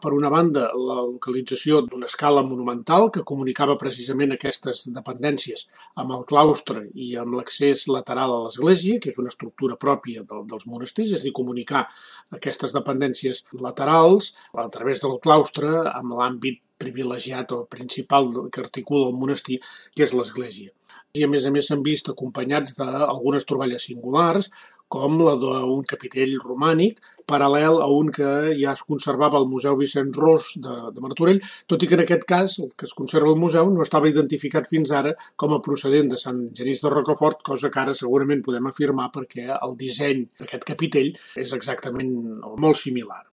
Per una banda, la localització d'una escala monumental que comunicava precisament aquestes dependències amb el claustre i amb l'accés lateral a l'església, que és una estructura pròpia dels monestirs, és a dir, comunicar aquestes dependències laterals a través del claustre amb l'àmbit privilegiat o principal que articula el monestir, que és l'església. I a més s'han vist acompanyats d'algunes troballes singulars, com la d'un capitell romànic, paral·lel a un que ja es conservava al Museu Vicent Ros de Martorell, tot i que en aquest cas, el que es conserva al museu, no estava identificat fins ara com a procedent de Sant Genís de Rocafort, cosa que ara segurament podem afirmar perquè el disseny d'aquest capitell és exactament molt similar.